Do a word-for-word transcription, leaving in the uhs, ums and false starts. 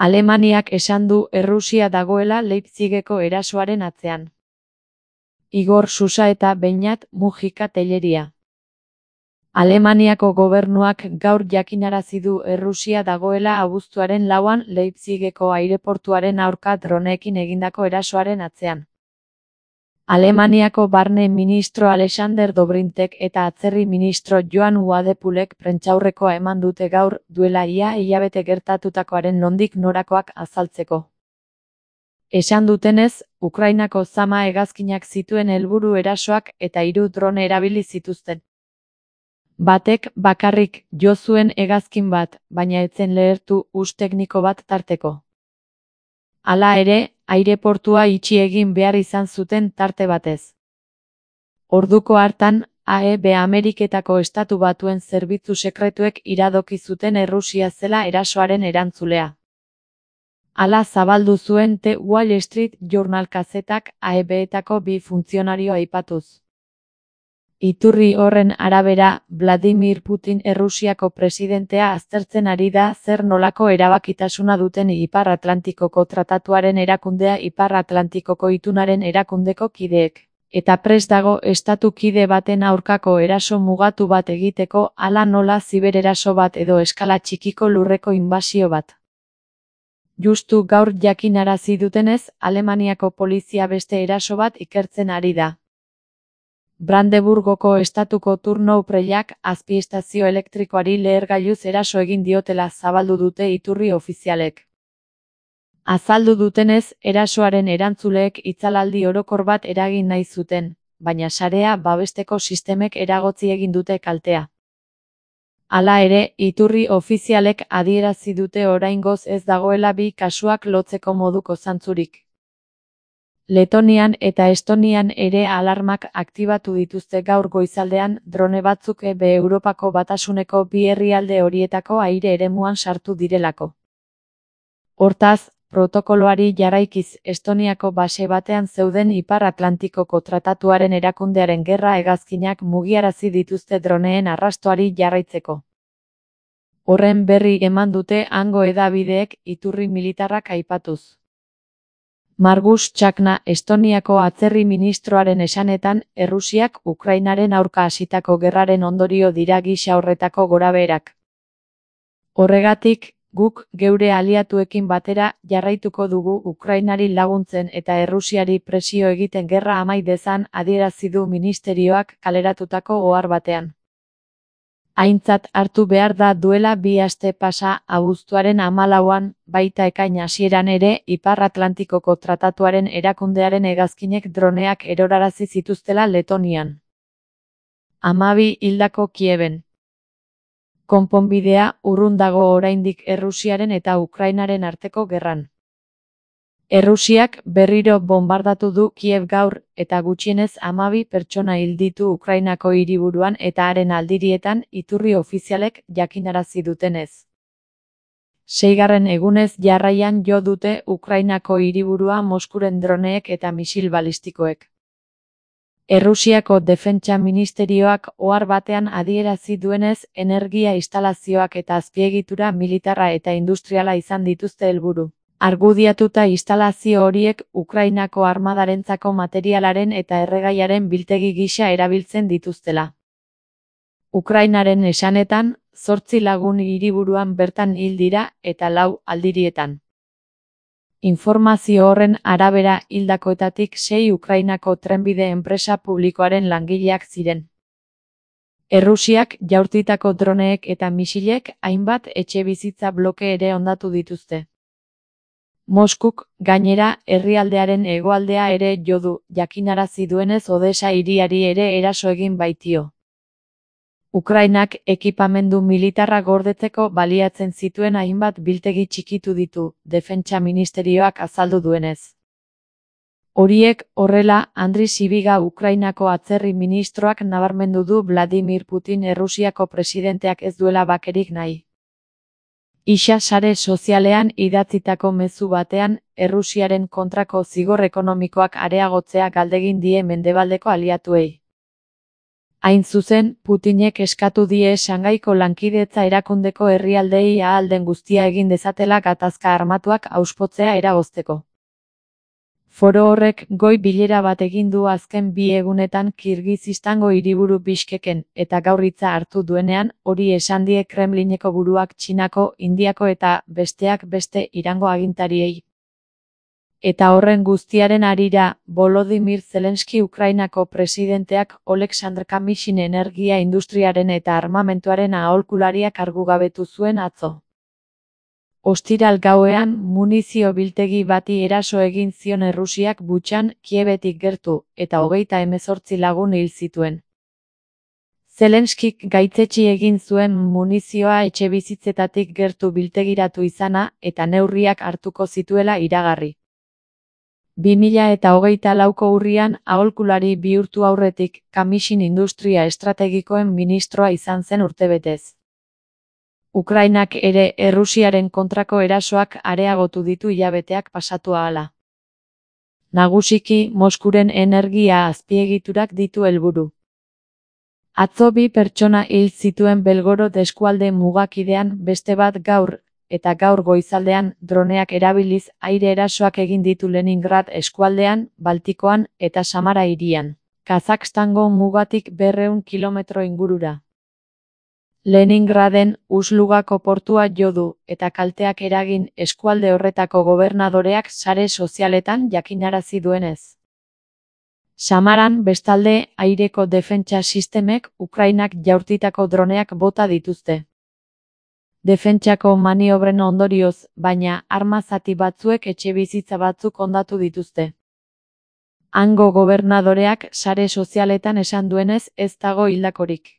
Alemaniak esan du Errusia dagoela Leipzigeko erasoaren atzean. Igor Susa eta Beñat Mujika Telleria. Alemaniako gobernuak gaur jakinarazi du Errusia dagoela abuztuaren lauan Leipzigeko aireportuaren aurka droneekin egindako erasoaren atzean. Alemaniako barne ministro Alexander Dobrintek eta atzerri ministro Joan Uadepulek prentsaurrekoa eman dute gaur, duela ia hilabete gertatutakoaren nondik norakoak azaltzeko. Esan dutenez, Ukrainako zama hegazkinak zituen helburu erasoak eta hiru drone erabili zituzten. Batek bakarrik jo zuen hegazkin bat, baina ez zen lehertu hus tekniko bat tarteko. Hala ere, aireportua itxi egin behar izan zuten tarte batez. Orduko hartan, A E B Ameriketako Estatu Batuen zerbitzu sekretuek iradoki zuten Errusia zela erasoaren erantzulea. Hala zabaldu zuen The Wall Street Journal kazetak A E B-etako bi funtzionario aipatuz. Iturri horren arabera, Vladimir Putin Errusiako presidentea aztertzen ari da zer nolako erabakitasuna duten Ipar Atlantikoko Tratatuaren erakundea Ipar Atlantikoko itunaren erakundeko kideek, eta prest dago estatu kide baten aurkako eraso mugatu bat egiteko, hala nola zibereraso bat edo eskala txikiko lurreko inbasio bat. Justu gaur jakinarazi dutenez, Alemaniako polizia beste eraso bat ikertzen ari da. Brandeburgoko estatuko turnoupreiak azpiestazio elektrikoari lehergailuz eraso egin diotela zabaldu dute iturri ofizialek. Azaldu dutenez, erasoaren erantzuleek itzalaldi orokor bat eragin nahi zuten, baina sarea babesteko sistemek eragotzi egin dute kaltea. Hala ere, iturri ofizialek adierazi dute oraingoz ez dagoela bi kasuak lotzeko moduko zantzurik. Letonian eta Estonian ere alarmak aktibatu dituzte gaur goizaldean drone batzuk E B Europako Batasuneko bi herrialde horietako aire eremuan sartu direlako. Hortaz, protokoloari jarraikiz Estoniako base batean zeuden Ipar Atlantikoko Tratatuaren erakundearen gerra hegazkinak mugiarazi dituzte droneen arrastoari jarraitzeko. Horren berri eman dute hango hedabideek iturri militarrak aipatuz. Margus Txakna Estoniako atzerri ministroaren esanetan, Errusiak Ukrainaren aurka hasitako gerraren ondorio dira gisa horretako gorabeherak. Horregatik, guk geure aliatuekin batera jarraituko dugu Ukrainari laguntzen eta Errusiari presio egiten gerra amai dezan adierazi du ministerioak kaleratutako ohar batean. Aintzat hartu behar da duela bi aste pasa abuztuaren hamalauan, baita ekain hasieran ere Ipar Atlantikoko Tratatuaren erakundearen hegazkinek droneak erorarazi zituztela Letonian. Hamabi hildako Kieben. Konponbidea urrun dago oraindik Errusiaren eta Ukrainaren arteko gerran. Errusiak berriro bonbardatu du Kiev gaur, eta gutxienez hamabi pertsona hil ditu Ukrainako hiriburuan eta haren aldirietan iturri ofizialek jakinarazi dutenez. Seigarren egunez jarraian jo dute Ukrainako hiriburua Moskuren droneek eta misil balistikoek. Errusiako Defentsa Ministerioak ohar batean adierazi duenez, energia instalazioak eta azpiegitura militarra eta industriala izan dituzte helburu. Argudiatuta instalazio horiek Ukrainako armadarentzako materialaren eta erregaiaren biltegi gisa erabiltzen dituztela. Ukrainaren esanetan, zortzi lagun hiriburuan bertan hil dira eta lau aldirietan. Informazio horren arabera hildakoetatik sei Ukrainako trenbide enpresa publikoaren langileak ziren. Errusiak jaurtitako droneek eta misilek hainbat etxebizitza bloke ere hondatu dituzte. Moskuk, gainera, herrialdearen hegoaldea ere jo du, jakinarazi duenez Odesa hiriari ere eraso egin baitio. Ukrainak ekipamendu militarra gordetzeko baliatzen zituen hainbat biltegi txikitu ditu, Defentsa Ministerioak azaldu duenez. Horiek, horrela, Andri Sibiga Ukrainako atzerri ministroak nabarmendu du Vladimir Putin Errusiako presidenteak ez duela bakerik nahi. Isa sare sozialean idatzitako mezu batean, Errusiaren kontrako zigor ekonomikoak areagotzea galdegin die mendebaldeko aliatuei. Hain zuzen, Putinek eskatu die Shangaiko lankidetza erakundeko herrialdeei ahal den guztia egin dezatela gatazka armatuak auspotzea eragozteko. Foro horrek goi bilera bat egin du azken bi egunetan Kirgizistango hiriburu Bishkeken, eta gaur hitza hartu duenean, hori esan die Kremlineko buruak Txinako, Indiako eta, besteak beste, Irango agintariei. Eta horren guztiaren harira, Volodymyr Zelensky Ukrainako presidenteak Oleksandr Kamyshin energia industriaren eta armamentuaren aholkulariak kargugabetu zuen atzo. Ostiral gauean, munizio biltegi bati eraso egin zion Errusiak Butxan, Kiebetik gertu, eta hogeita hemezortzi lagun hil zituen. Zelenskik gaitzetsi egin zuen munizioa etxebizitzetatik gertu biltegiratu izana, eta neurriak hartuko zituela iragarri. bi mila eta hogeita lauko urrian, aholkulari bihurtu aurretik, Kamyshin industria estrategikoen ministroa izan zen urtebetez. Ukrainak ere Errusiaren kontrako erasoak areagotu ditu hilabeteak pasatu ahala. Nagusiki, Moskuren energia azpiegiturak ditu helburu. Atzo bi pertsona hil zituen Belgorod eskualde mugakidean, beste bat gaur, eta gaur goizaldean, droneak erabiliz aire erasoak egin ditu Leningrad eskualdean, Baltikoan, eta Samara hirian, Kazakstango mugatik berrehun kilometro ingurura. Leningraden, Uslugako portua jo du, eta kalteak eragin eskualde horretako gobernadoreak sare sozialetan jakinarazi duenez. Samaran, bestalde, aireko defentsa sistemek Ukrainak jaurtitako droneak bota dituzte. Defentsako maniobren ondorioz, baina, arma zati batzuek etxebizitza batzuk hondatu dituzte. Hango gobernadoreak sare sozialetan esan duenez ez dago hildakorik.